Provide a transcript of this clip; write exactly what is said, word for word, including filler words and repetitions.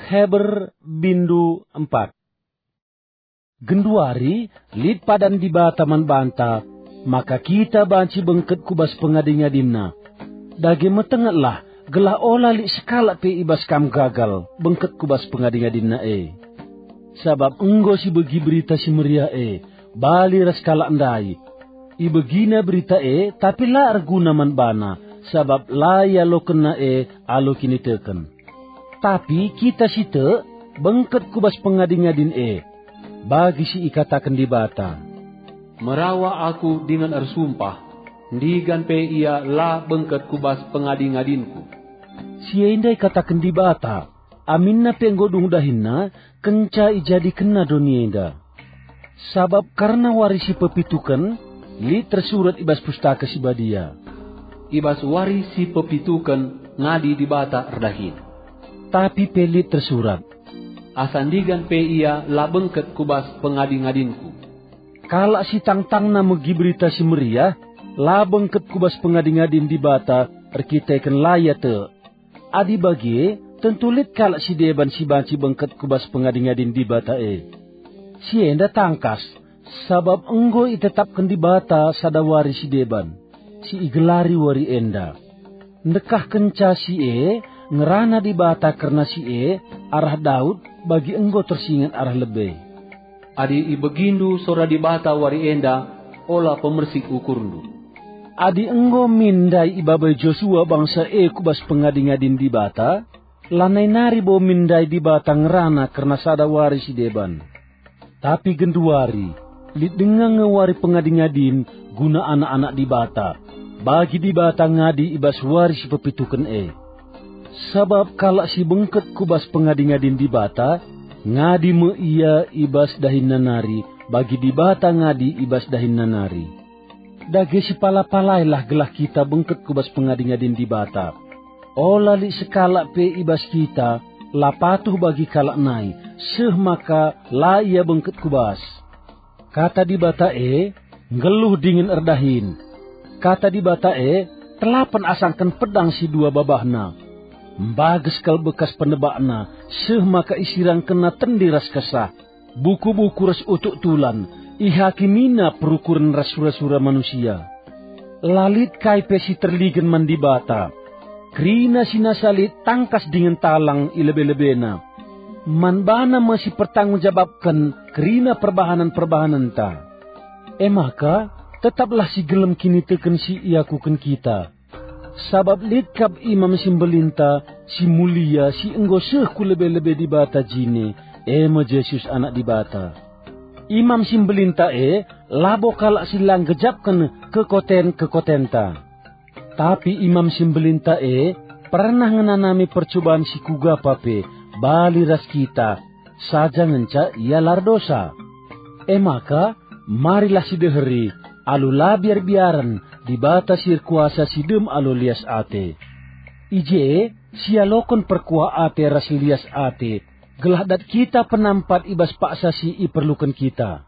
Heber bindu empat. Genduari lit padan Dibata man banta, maka kita banci bengket ku bas pengadi-ngadinNa. Dage metengetlah, gelah ola lit sekalak pe i bas kam gagal bengket ku bas pengadi-ngadinNa e. Sabap enggo sibegi Berita Si Meriah e bali ras kalak ndai. Ibegina Berita e, tapi la erguna man bana, sabap la ialokenna e alu kiniteken. Tapi kita si tek bengket ku bas pengadi-ngadin e, bagi si ikataken Dibata, "Merawa aku dingen ersumpah, ndigan pe ia la bengket ku bas pengadi-ngadinku." Si enda ikataken Dibata, aminna pe enggo dung dahinNa, kenca ijadikenNa doni enda. Sabap kerna wari si pepituken, lit tersurat i bas Pustaka Si Badia, "I bas wari si pepituken ngadi Dibata erdahin." Tapi pe lit tersurat, "Asa ndigan pe ia la bengket ku bas pengadi-ngadinku." Kalak si tangtangna megi Berita Si Meriah, la bengket ku bas pengadi-ngadin Dibata erkiteken la ia tek. Adi bage, tentu lit kalak si deban si banci bengket ku bas pengadi-ngadin Dibata e. Si enda tangkas, sabap enggo itetapken Dibata sada wari si deban, si igelari wari enda. Ndekahkenca si e, ngerana Dibata kerna si e arah Daud, bagi enggo tersinget arah lebe. Adi ibegindu sora Dibata wari enda, ola pemersik ukurndu. Adi enggo min ndai ibabai Josua bangsa e ku bas pengadi-ngadin Dibata, lanai nari bo min ndai Dibata ngerana kerna sada wari si deban. Tapi genduari, lit denga nge wari pengadi-ngadin guna anak-anak Dibata, bagi Dibata ngadi i bas wari si pepituken e. Sabap kalak si bengket ku bas pengadi-ngadin Dibata, ngadi me ia i bas dahinna nari, bagi Dibata ngadi i bas dahinna nari. Dage sipala-palailah gelah kita bengket ku bas pengadi-ngadin Dibata. Ola lit sekalak pe i bas kita la patuh bagi kalak nai, seh maka la ia bengket ku bas. Kata Dibata e nggeluh dingen erdahin. Kata Dibata e telapen asangken pedang si dua babahna. Mbages kal bekas penebakna, seh maka isirangkenna tendi ras kesah, buku-buku ras utuk tulan, ihakimina perukuren ras sura-sura manusia. La lit kai pe si terligen man Dibata. Kerina si nasa lit tangkas dingen talang i lebe-lebena. Man bana me si pertanggung jabapken kerina perbahanen-perbahanenta. E maka, tetaplah si gelem kiniteken si iakuken kita. Sabap lit kap Imam si Mbelinta si mulia si enggo seh ku lebe-lebe Dibata jine, e me Jesus Anak Dibata. Imam si Mbelinta e labo kalak si la nggejapken kekoten-kekotenta. Tapi Imam si Mbelinta e pernah ngenanami percuban si kuga pa pe bali ras kita, saja ngenca ia la erdosa. E maka, marilah sideheri alu la biar-biaren Dibata si erkuasa si dem alu lias ate. I je sialoken perkuah ate ras lias ate, gelah dat kita penampat i bas paksa si iperluken kita.